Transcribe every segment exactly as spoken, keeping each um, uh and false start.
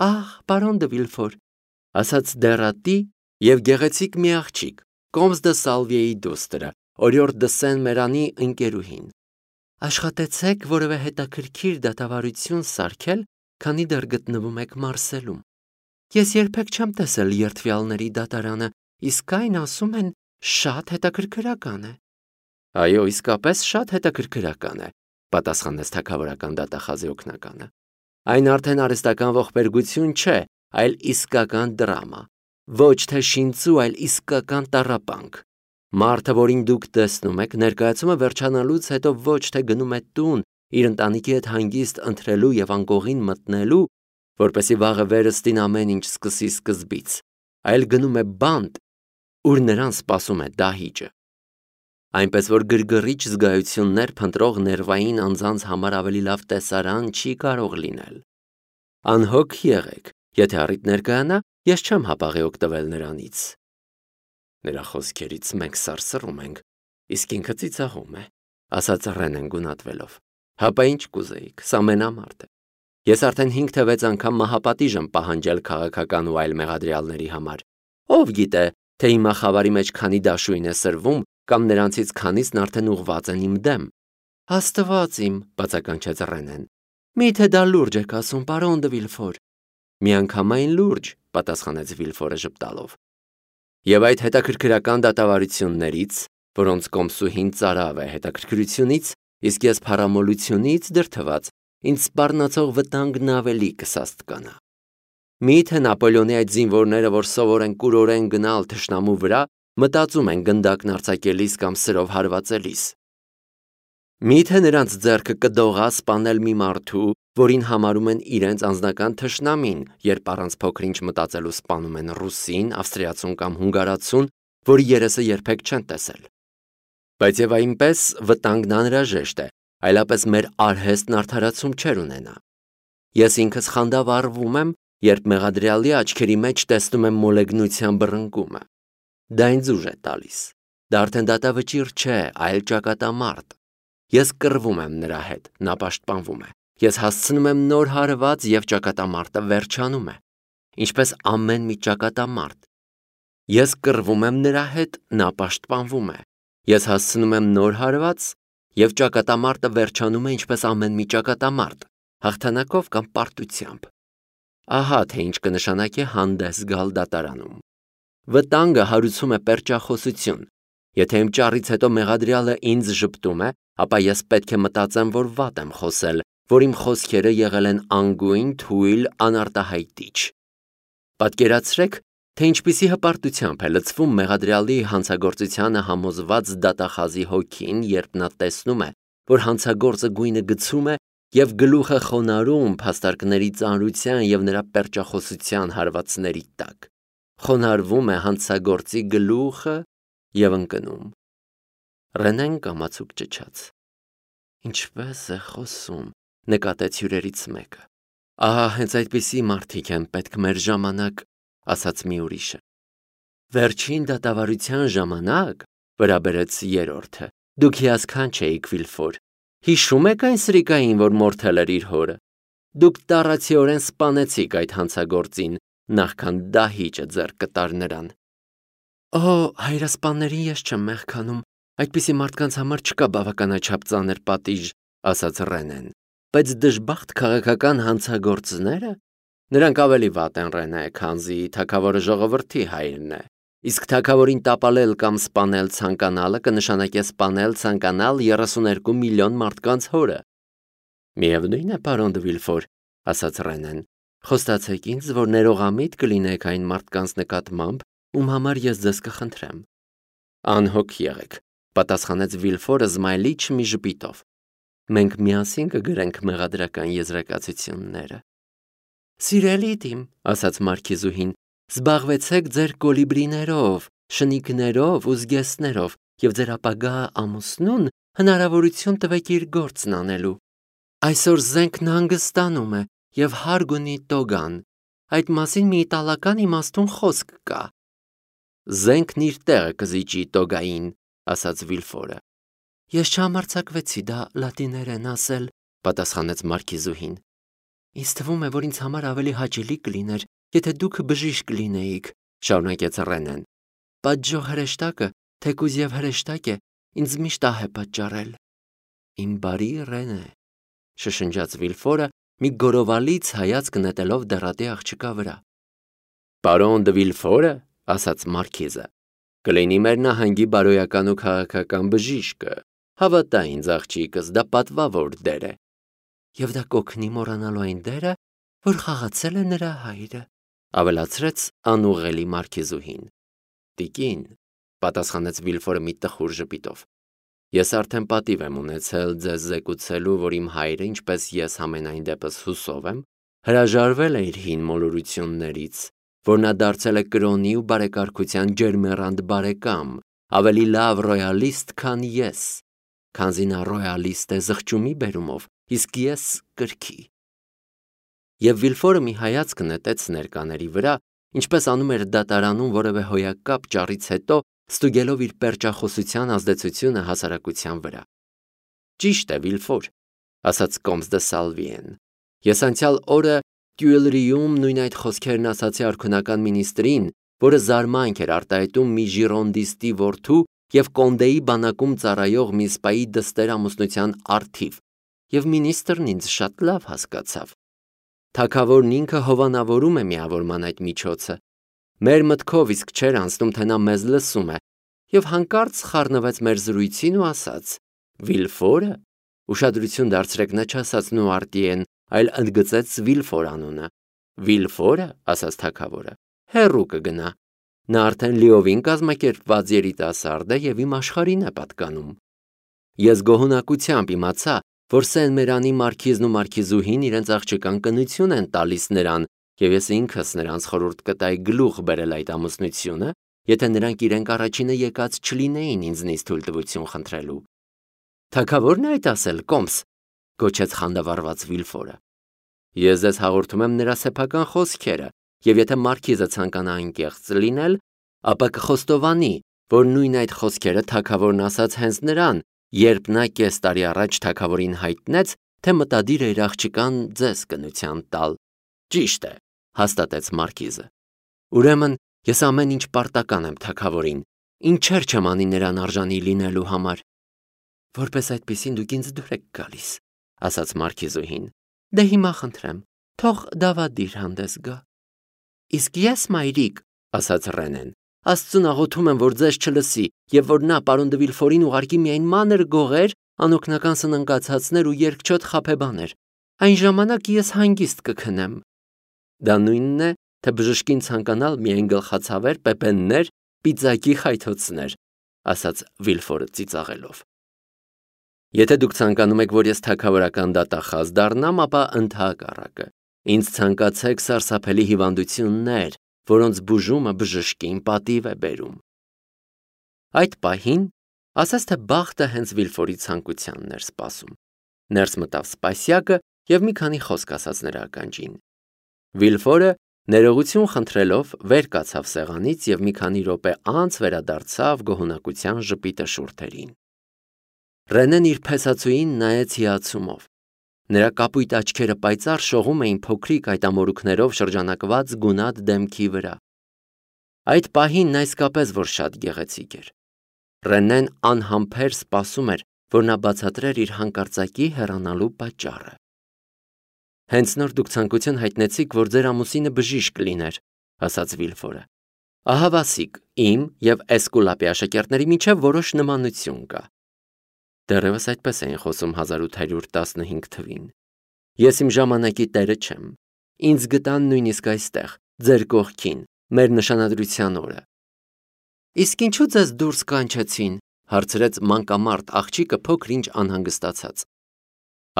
Ահ, պարոն դը Վիլֆոր, ասաց դեռատի և գեղեցիկ մի աղջիկ, Կոմս դը Սալվիեի դուստրը, օրիորդ դը Սեն Մերանի ընկերուհին։ Աշխատեցեք որևէ հետաքրքիր դատավարություն սարքել, քանի դեռ գտնվում եք Մարսելում։ Ես երբեք չեմ տեսել երդվյալների դատարանը, իսկ այն ասում են շատ հետաքրքրական է։ Այո, իսկապես շատ հետաքրքրական է, պատասխանեց թագավորական դատախազի օգնականը։ Այն արդեն արհեստական ողբերգություն չէ, այլ իսկական դրամա, ոչ թե շինծու, այլ իսկական տառապանք։ Մարդը, որին դուք տեսնում եք, ներկայացումը վերջանալուց հետո ոչ թե գնում է տուն իր ընտանիքի հետ հանգիստ ընթրելու և անկողին մտնելու, որպեսզի վաղը վերստին ամեն ինչ սկսի սկզբից, այլ գնում է բանտ, ուր նրան սպասում է դահիճը։ Այնպես որ գրգռիչ զգայություններ փնտրող ներվային անձանց համար ավելի լավ տեսարան չի կարող լինել։ Անհոգ եղեք, եթե առիթ ներկայանա, ես չեմ հապաղի օգտվել նրանից։ Նրա խոսքերից մենք սարսռում ենք, իսկ ինքը ծիծաղում է, ասաց Ռենեն գունատվելով։ Հապա ինչ կուզեիք, սա մենամարտ է։ Ես արդեն հինգ թե վեց անգամ մահապատիժ եմ պահանջել քաղաքական ու այլ մեղադրյալների համար։ Ով գիտե, թե հիմա խավարի մեջ քանի դաշույն է սրվում, կամ նրանցից քանիսն արդեն ուղղված են իմ դեմ։ Աստված իմ, բացականչեց Ռենեն։ Միթե դա լուրջ եք ասում, պարոն դը Վիլֆոր։ Միանգամայն լուրջ, պատասխանեց Վիլֆորը ժպտալով։ Եվ այդ հետաքրքրական դատավարություններից, որոնց կոմսուհին ծարավ է հետաքրքրությունից, իսկ ես փառամոլությունից դրդված, ինձ սպառնացող վտանգն ավելի կսաստկանա։ Միթե Նապոլեոնի այդ զինվորները, որ սովոր են կուրորեն գնալ թշնամու վրա, մտածում են գնդակն արձակելիս կամ սրով հարվածելիս։ Միթե նրանց ձեռքը կդողա սպանել մի մարդու, որին համարում են իրենց անձնական թշնամին, երբ առանց փոքր-ինչ մտածելու սպանում են ռուսին, ավստրիացուն կամ հունգարացուն, որի երեսը երբեք չեն տեսել։ Բայց եւ այնպես վտանգն անհրաժեշտ է, այլապես մեր արհեստն արդարացում չեր ունենա։ Ես ինքս խանդավառվում եմ, երբ մեղադրյալի աչքերի մեջ տեսնում եմ մոլեգնության բռնկումը։ Դա ինձ ուժ է տալիս։ Դա արդեն դատավճիռ չէ, այլ ճակատամարտ։ Ես կռվում եմ նրա հետ, նա պաշտպանվում է։ Ես հասցնում եմ նոր հարված և ճակատամարտը վերջանում է, ինչպես ամեն մի ճակատամարտ։ Ես կռվում եմ նրա հետ, նա պաշտպանվում է։ Ես հասցնում եմ նոր հարված և ճակատամարտը վերջանում է, ինչպես ամեն մի ճակատամարտ, հաղթանակով կամ պարտությամբ։ Ահա թե ինչ կնշանակի հանդես գալ դատարանում։ Վտանգը հարուցում է պերճախոսություն։ Եթե իմ ճառից հետո մեղադրյալը ինձ ժպտում է, ապա ես պետք է մտածեմ, որ վատ եմ խոսել, որ իմ խոսքերը եղել են անգույն, թույլ, անարտահայտիչ։ Պատկերացրեք, թե ինչպիսի հպարտությամբ է լցվում մեղադրյալի հանցագործությանը համոզված դատախազի հոգին, երբ նա տեսնում է, որ հանցագործը գույնը գցում է և գլուխը խոնարհում փաստարկների ծանրության և նրա պերճախոսության հարվածների տակ։ Խոնարհվում է հանցագործի գլուխը և ընկնում։ Ռենեն կամացուկ ճչաց։ Ինչպես է խոսում, նկատեց հյուրերից մեկը։ Ահա հենց այդպիսի մարդիկ են պետք մեր ժամանակ, ասաց մի ուրիշը։ Վերջին դատավարության ժամանակ, վրա բերեց երրորդը, դուք հիասքանչ էիք, Վիլֆոր։ Հիշում եք այն սրիկային, որ մորթել էր իր հորը։ Դուք տառացիորեն սպանեցիք այդ հանցագործին, նախքան դահիճը ձեռք կտար նրան։ Օ, հայրասպաններին ես չեմ մեղքանում, այդպիսի մարդկանց համար չկա բավականաչափ ծանր պատիժ, ասաց Ռենեն, բայց դժբախտ քաղաքական հանցագործները, նրանք ավելի վատ են, Ռենե, քանզի թագավորը ժողովրդի հայրն է, իսկ թագավորին տապալել կամ սպանել ցանկանալը կնշանակե սպանել ցանկանալ երեսուներկու միլիոն մարդկանց հորը։ Միևնույն է, պարոն դը Վիլֆոր, ասաց Ռենեն, խոստացեք ինձ, որ ներողամիտ կլինեք այն մարդկանց նկատմամբ, ում համար ես ձեզ կխնդրեմ։ Անհոգ եղեք, պատասխանեց Վիլֆորը զմայլիչ մի ժպիտով։ Մենք միասին կգրենք մեղադրական եզրակացությունները։ Սիրելի իմ, ասաց մարքիզուհին, զբաղվեցեք ձեր կոլիբրիներով, շնիկներով ու զգեստներով և ձեր ապագա ամուսնուն հնարավորություն տվեք իր գործն անելու։ Այսօր զենքն հանգստանում է և հարկ ունի տոգան։ Այդ մասին մի իտալական իմաստուն խոսք կա։ Զենքն իր տեղը կզիջի տոգային, ասաց Վիլֆորը։ Ես չհամարձակվեցի դա լատիներեն ասել, պատասխանեց մարքիզուհին։ Ինձ թվում է, որ ինձ համար ավելի հաճելի կլիներ, եթե դուք բժիշկ լինեիք, շարունակեց Ռենեն։ Պատժող հրեշտակը, թեկուզ եւ հրեշտակ է, ինձ միշտ ահ է պատճառել։ Իմ բարի Ռենե, շշնջաց Վիլֆորը, մի գորովալից հայացք նետելով դեռատի աղջկա վրա։ Պարոն դե Վիլֆորը, ասաց մարքիզը, կլինի մեր նահանգի բարոյական ու քաղաքական բժիշկը, հավատա ինձ աղջիկս, դա պատվավոր դեր է։ Եվ դա կօգնի մոռանալու այն դերը, որ խաղացել է նրա հայրը, ավելացրեց անուղղելի մարքիզուհին։ Տիկին, պատասխանեց Վիլֆորը մի տխուր ժպիտով, ես արդեն պատիվ եմ ունեցել ձեզ զեկուցելու, որ իմ հայրը, ինչպես ես համենայն դեպս հուսով եմ, հրաժարվել է իր հին մոլորություններից, որ նա դարձել է կրոնի ու բարեկարգության ջերմեռանդ բարեկամ, ավելի լավ ռոյալիստ, քան ես, քանզի նա ռոյալիստ է զղջումի բերումով, իսկ ես կրքի։ Եվ Վիլֆորը մի հայացք նետեց ներկաների վրա, ինչպես անում էր դատարանում որևէ հոյակապ ճառից հետո, ստուգելով իր պերճախոսության ազդեցությունը հասարակության վրա։ Ճիշտ է, Վիլֆոր, ասաց Կոմս դե Սալվիեն։ Ես անցյալ օրը Տյուելրիում նույն այդ խոսքերն ասացի արքունական մինիստրին, որը զարմանք էր արտահայտում մի ժիրոնդիստի որդու և Կոնդեի բանակում ծառայող մի սպայի դստեր ամուսնության առթիվ, և մինիստրն ինձ շատ լավ հասկացավ։ Թագավորն ինքը հովանավորում է միավորման այդ միջոցը։ Մեր մտքով իսկ չէր անցնում, թե նա մեզ լսում է, և հանկարծ խառնվեց մեր զրույցին ու ասաց. Վիլֆորը, ուշադրություն դարձրեք, նա չասաց Նուարտիեն, այլ ընդգծեց Վիլֆոր անունը։ Վիլֆորը, ասաց թագավորը, հեռու կգնա։ Նա արդեն լիովին կազմակերպված երիտասարդ է և իմ աշխարհին է պատկանում։ Ես գոհունակությամբ իմացա, որ Սեն Մերանի մարքիզն ու մարքիզուհին իրենց աղջկան կնություն են տալիս նրան, և ես ինքս նրանց խորհուրդ կտայի գլուխ բերել այդ ամուսնությունը, եթե նրանք իրենք առաջինը եկած չլինեին ինձնից թույլտվություն խնդրելու։ Թագավորն է այդ ասել, Կոմս, գոչեց խանդավառված Վիլֆորը։ Ես ձեզ հաղորդում եմ նրա սեփական խոսքերը, և եթե մարքիզը ցանկանա անկեղծ լինել, ապա կխոստովանի, որ նույն այդ խոսքերը թագավորն ասաց հենց նրան, երբ նա կես տարի առաջ թագավորին հայտնեց, թե մտադիր է իր աղջկան ձեզ կնության տալ։ Ճիշտ է, հաստատեց մարքիզը։ Ուրեմն ես ամեն ինչ պարտական եմ թագավորին, ինչեր չեմ անի նրան արժանի լինելու համար։ Որպես այդպիսին դուք ինձ դուր եք գալիս, ասաց մարքիզուհին։ Դե հիմա խնդրեմ, թող դավադիր հանդես գա։ Իսկ ես, մայրիկ, ասաց Ռենեն, Աստծուն աղոթում եմ, որ ձեզ չլսի, և որ նա պարոն դե Վիլֆորին ուղարկի միայն մանր գողեր, անօգնական սննկացածներ ու երկչոտ խաբեբաներ։ Այն ժամանակ ես հանգիստ կքնեմ։ Դա նույնն է, թե բժշկին ցանկանալ միայն գլխացավեր, պեպեններ, պիծակի խայթոցներ, ասաց Վիլֆորը ծիծաղելով։ Եթե դուք ցանկանում եք, որ ես թագավորական դատախազ դառնամ, ապա ընդհակառակը, ինձ ցանկացեք սարսափելի հիվանդություններ, որոնց բուժումը բժշկին պատիվ է բերում։ Այդ պահին ասաց, թե բախտը հենց Վիլֆորի ցանկությանն էր սպասում։ Ներս մտավ սպասյակը և մի քանի խոսք ասաց նրա ականջին։ Վիլֆորը, ներողություն խնդրելով, վեր կացավ սեղանից և մի քանի րոպե անց վերադարձավ գոհունակության ժպիտը շուրթերին։ Ռենեն իր փեսացուին նայեց հիացումով։ Նրա կապույտ աչքերը պայծառ շողում էին փոքրիկ այտամորուքներով շրջանակված գունատ դեմքի վրա։ Այդ պահին նա իսկապես որ շատ գեղեցիկ էր։ Ռենեն անհամբեր սպասում էր, որ նա բացատրեր իր հանկարծակի հեռանալու պատճառը։ Հենց նոր դուք ցանկություն հայտնեցիք, որ ձեր ամուսինը բժիշկ լիներ, ասաց Վիլֆորը։ Ահա Վասիկ, իմ և Էսկուլապի աշակերտների միջև որոշ նմանություն կա։ Դեռևս այդպես էին խոսում հազար ութ հարյուր տասնհինգ թվին։ Ես իմ ժամանակի տերը չեմ։ Ինձ գտան նույնիսկ այստեղ, ձեր կողքին, մեր նշանադրության օրը։ Իսկ ինչու ձեզ դուրս կանչեցին, հարցրեց մանկամարդ աղջիկը փոքր-ինչ անհանգստացած։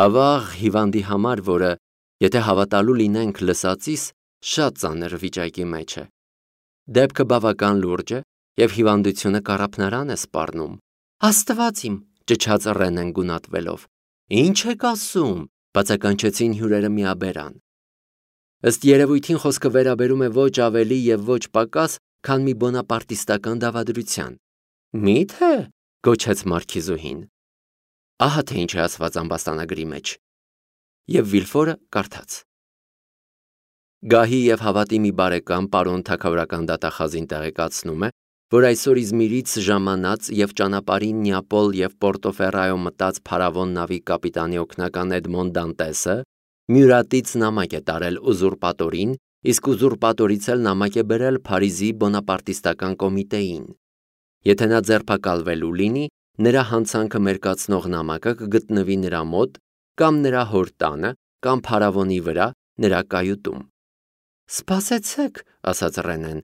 Ավաղ հիվանդի համար, որը, եթե հավատալու լինենք լսածիս, շատ ծանր վիճակի մեջ է։ Դեպքը բավական լուրջ է և հիվանդությունը կառափնարան է սպառնում։ Աստված իմ, ճչաց Ռենեն գունատվելով։ Ինչ եք ասում, բացականչեցին հյուրերը միաբերան։ Ըստ երևույթին խոսքը վերաբերում է ոչ ավելի և ոչ պակաս, քան մի բոնապարտիստական դավադրության։ Մի՞թե, գոչեց մարքիզուհին։ Ահա թե ինչ է ասված ամբաստանագրի մեջ։ Եվ Վիլֆորը կարդաց։ Գահի և հավատի մի բարեկամ պարոն թագավորական դատախազին տեղեկացնում է, որ այսօր Իզմիրից ժամանած և ճանապարհին Նեապոլ և Պորտոֆերրայո մտած փարավոն նավի կապիտանի օգնական Էդմոն Դանտեսը Մյուրատից նամակ է տարել ուզուրպատորին, իսկ ուզուրպատորից էլ նամակ է բերել Փարիզի բոնապարտիստական կոմիտեին։ Եթե նա ձերբակալվելու լինի, նրա հանցանքը մերկացնող նամակը կգտնվի նրա մոտ կամ նրա հոր տանը, կամ փարավոնի վրա, նրա կայուտում։ «Սպասեցեք», ասաց Ռենեն,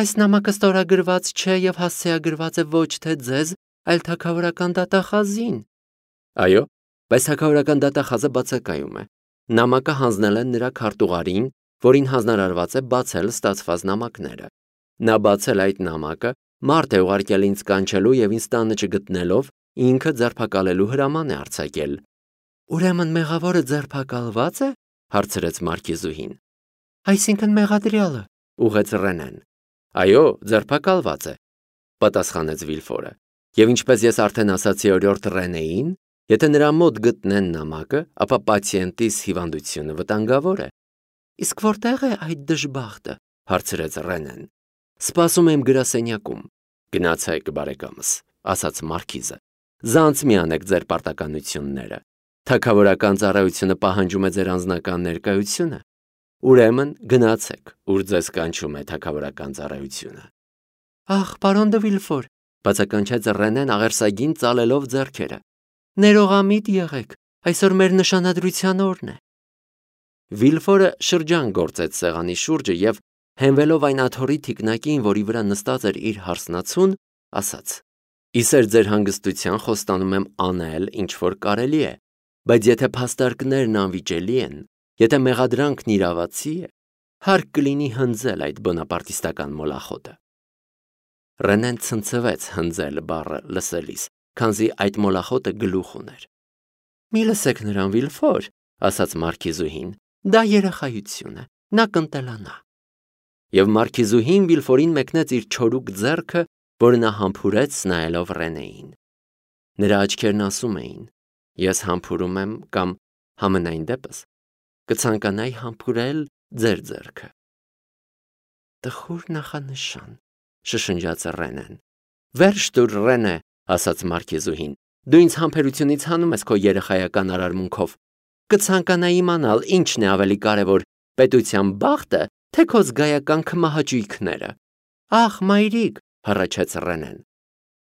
«այս նամակը ստորագրված չէ և հասցեագրված է ոչ թե ձեզ, այլ թագավորական դատախազին»։ Այո, բայց թագավորական դատախազը բացակայում է։ Նամակը հանձնել են նրա քարտուղարին, որին հանձնարարված է բացել ստացված նամակները։ Նա բացել այդ նամակը, մարդ է ուղարկել ինձ կանչելու և ինձ տանը չգտնելով, ինքը ձերբակալելու հրաման է արձակել։ «Ուրեմն մեղավորը ձերբակալվա՞ծ է», հարցրեց մարքիզուհին։ «Այսինքն մեղադրյալը», ուղղեց Ռենեն։ «Այո, ձերբակալված է», պատասխանեց Վիլֆորը։ «Եվ ինչպես ես արդեն ասացի օրիորդ Ռենեին, եթե նրա մոտ գտնեն նամակը, ապա պացիենտիս հիվանդությունը վտանգավոր է»։ «Իսկ որտե՞ղ է այդ դժբախտը», հարցրեց Ռենեն։ «Սպասում եմ գրասենյակում»։ «Գնացեք, բարեկամս», ասաց մարքիզը։ «Զանց մի անեք ձեր պարտականությունները։ Թագավորական ծառայությունը պահանջում է ձեր անձնական ներկայությունը։ Ուրեմն գնացեք, ուր ձեզ կանչում է թագավորական ծառայությունը»։ «Ախ, պարոն դը Վիլֆոր», բացականչեց Ռենեն աղերսագին ծալելով ձեռքերը։ «Ներողամիտ եղեք, այսօր մեր նշանադրության օրն է»։ Վիլֆորը շրջան գործեց սեղանի շուրջը և, հենվելով այն աթոռի թիկնակին, որի վրա նստած էր իր հարսնացուն, ասաց. «Իսեր ձեր հանգստության խոստանում եմ անել, ինչ որ կարելի է, բայց եթե փաստարկներն անվիճելի են, եթե մեղադրանքն իրավացի է, հարկ կլինի հնձել այդ բոնապարտիստական մոլախոտը»։ Ռենեն ցնցվեց հնձել բառը լսելիս, քանզի այդ մոլախոտը գլուխ ուներ։ «Մի լսեք նրան, Վիլֆոր», ասաց մարքիզուհին, «դա երեխայություն է, նա կընտելանա»։ Եվ մարքիզուհին Վիլֆորին մեկնեց իր չորուկ ձեռքը, որը նա համբուրեց նայելով Ռենեին։ Նրա աչքերն ասում էին. «Ես համբուրում եմ կամ համենայն դեպս կցանկանայի համբուրել ձեր ձեռքը»։ «Տխուր նախանշան», շշնջաց Ռենեն։ «Վերջ տուր, Ռենե», ասաց մարքիզուհին, «դու ինձ համբերությունից հանում ես քո երեխայական արարմունքով։ Կցանկանայի իմանալ, ինչն է ավելի կարևոր՝ պետության բախտը, թե քո զգայական քմահաճույքները»։ «Ախ, մայրիկ», հառաչեց Ռենեն։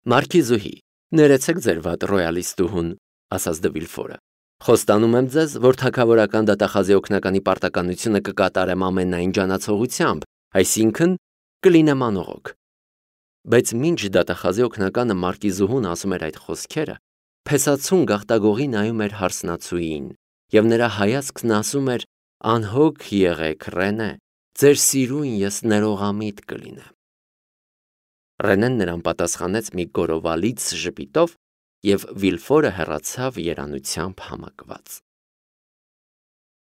«Մարքիզուհի, ներեցեք ձեր վատ ռոյալիստուհուն», ասաց դը Վիլֆորը։ «Խոստանում եմ ձեզ, որ թագավորական դատախազի օգնականի պարտականությունը կկատարեմ ամենայն ջանացողությամբ, այսինքն կլինեմ անողոք»։ Բայց մինչ դատախազի օգնականը մարքիզուհուն ասում էր այդ խոսքերը, փեսացուն գաղտագողի նայում էր հարսնացուին, և նրա հայացքն ասում էր. «Անհոգ եղեք, Ռենե, ձեր սիրուն ես ներողամիտ կլինեմ»։ Ռենեն նրան պատասխանեց մի գորովալից ժպիտով, և Վիլֆորը հեռացավ երանությամբ համակված։